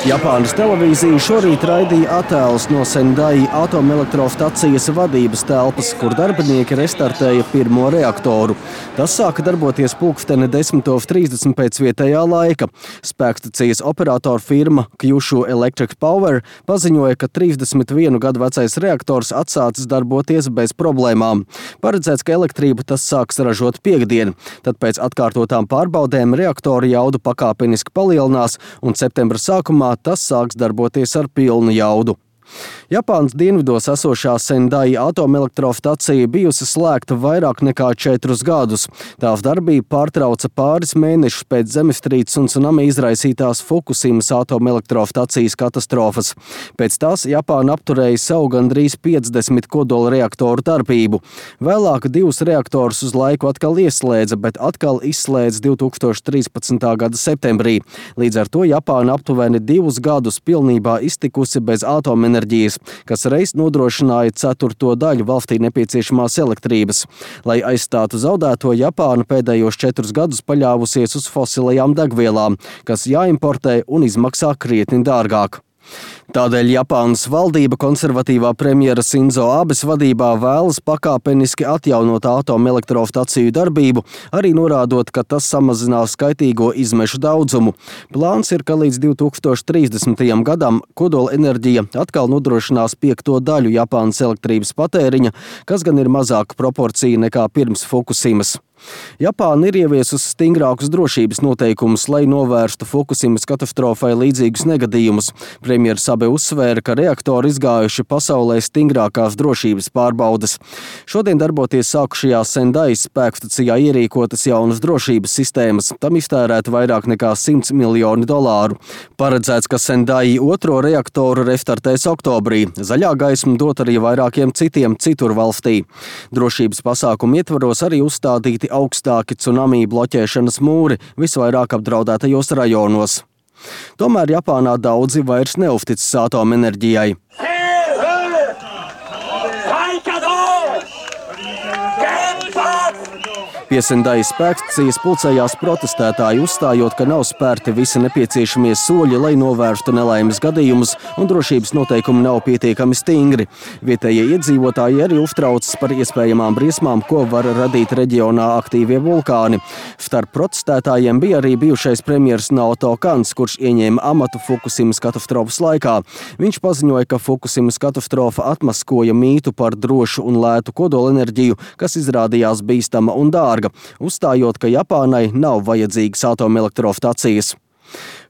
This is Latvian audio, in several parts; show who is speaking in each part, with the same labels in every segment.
Speaker 1: Japānas televīzija šorīt raidīja attēlus no Sendai atomelektrostacijas vadības telpas, kur darbinieki restartēja pirmo reaktoru. Tas sāka darboties pulksteni 10:30 pēc vietējā laika. Spēkstacijas operatora firma Kyushu Electric Power paziņoja, ka 31 gadu vecais reaktors atsācis darboties bez problēmām. Paredzēts, ka elektrību tas sāks ražot piektdien. Tad pēc atkārtotām pārbaudēm reaktora jaudu pakāpeniski palielinās un septembra sākumā tas sāks darboties ar pilnu jaudu. Japānas dienvidos esošā Sendai atomelektrostacija bijusi slēgta vairāk nekā 4 gadus. Tās darbību pārtrauca pāris mēnešus pēc zemestrīces un tsunami izraisītās Fukusimas atomelektrostacijas katastrofas. Pēc tās Japāna apturēja savu gandrīz 50 kodola reaktoru darbību. Vēlāk 2 reaktorus uz laiku atkal ieslēdza, bet atkal izslēdza 2013. gada septembrī. Līdz ar to Japāna aptuveni 2 gadus pilnībā iztikusi bez atomenerģijas, kas reiz nodrošināja 1/4 daļu valstī nepieciešamās elektrības. Lai aizstātu zaudēto, Japāna pēdējos 4 gadus paļāvusies uz fosilajām degvielām, kas jāimportē un izmaksā krietni dārgāk. Tādēļ Japānas valdība konservatīvā premjera Sinzo Abes vadībā vēlas pakāpeniski atjaunot atomelektrostaciju darbību, arī norādot, ka tas samazinās kaitīgo izmešu daudzumu. Plāns ir, ka līdz 2030. gadam kodola enerģija atkal nodrošinās 5 daļu Japānas elektrības patēriņa, kas gan ir mazāka proporcija nekā pirms Fukusimas. Japāna ir ieviesusi stingrākus drošības noteikumus, lai novērstu Fukusimas katastrofai līdzīgus negadījumus. Premjers Abe uzsvēra, ka reaktori izgājuši pasaulē stingrākās drošības pārbaudes. Šodien darboties sākušajā Sendai spēkstacijā ierīkotas jaunas drošības sistēmas. Tam iztērēta vairāk nekā $100 miljoni. Paredzēts, ka Sendai 2. reaktoru restartēs oktobrī. Zaļā gaisma dot arī vairākiem citiem citur valstī. Drošības pasākumu ietvaros arī uzstādīti augstāki tsunami bloķēšanas mūri visvairāk apdraudētajos rajonos. Tomēr Japānā daudzi vairs neuzticas atomenerģijai. Pie Sendai spēkstacijas pulcējās protestētāji, uzstājot, ka nav spērti visi nepieciešamie soļi, lai novērstu nelaimes gadījumus, un drošības noteikumi nav pietiekami stingri. Vietējie iedzīvotāji arī uztraucas par iespējamām briesmām, ko var radīt reģionā aktīvie vulkāni. Starp protestētājiem bija arī bijušais premjers Naoto Kans, kurš ieņēma amatu Fukusimas katastrofas laikā. Viņš paziņoja, ka Fukusimas katastrofa atmaskoja mītu par drošu un lētu kodolenerģiju, kas izrādījās bīstama un dārga, uzstājot, ka Japānai nav vajadzīgas atomelektrostacijas.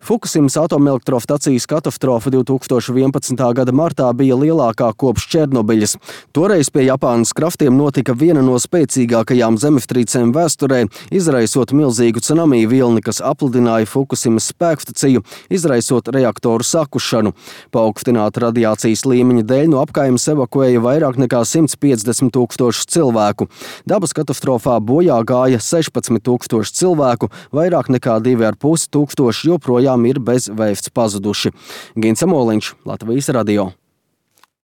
Speaker 1: Fukusimas atomelektrostacijas katastrofa 2011. gada martā bija lielākā kopš Černobiļas. Toreiz pie Japānas kraftiem notika viena no spēcīgākajām zemestrīcēm vēsturē, izraisot milzīgu tsunami vilni, kas apludināja Fukusimas spēkstaciju, izraisot reaktoru sakušanu. Paaugstināta radiācijas līmeņa dēļ no apkaimes evakuēja vairāk nekā 150 000 cilvēku. Dabas katastrofā bojā gāja 16 000 cilvēku, vairāk nekā 2,5 tūkstoši joprojām ir bez vēsts pazuduši. Gins Amoliņš, Latvijas radio.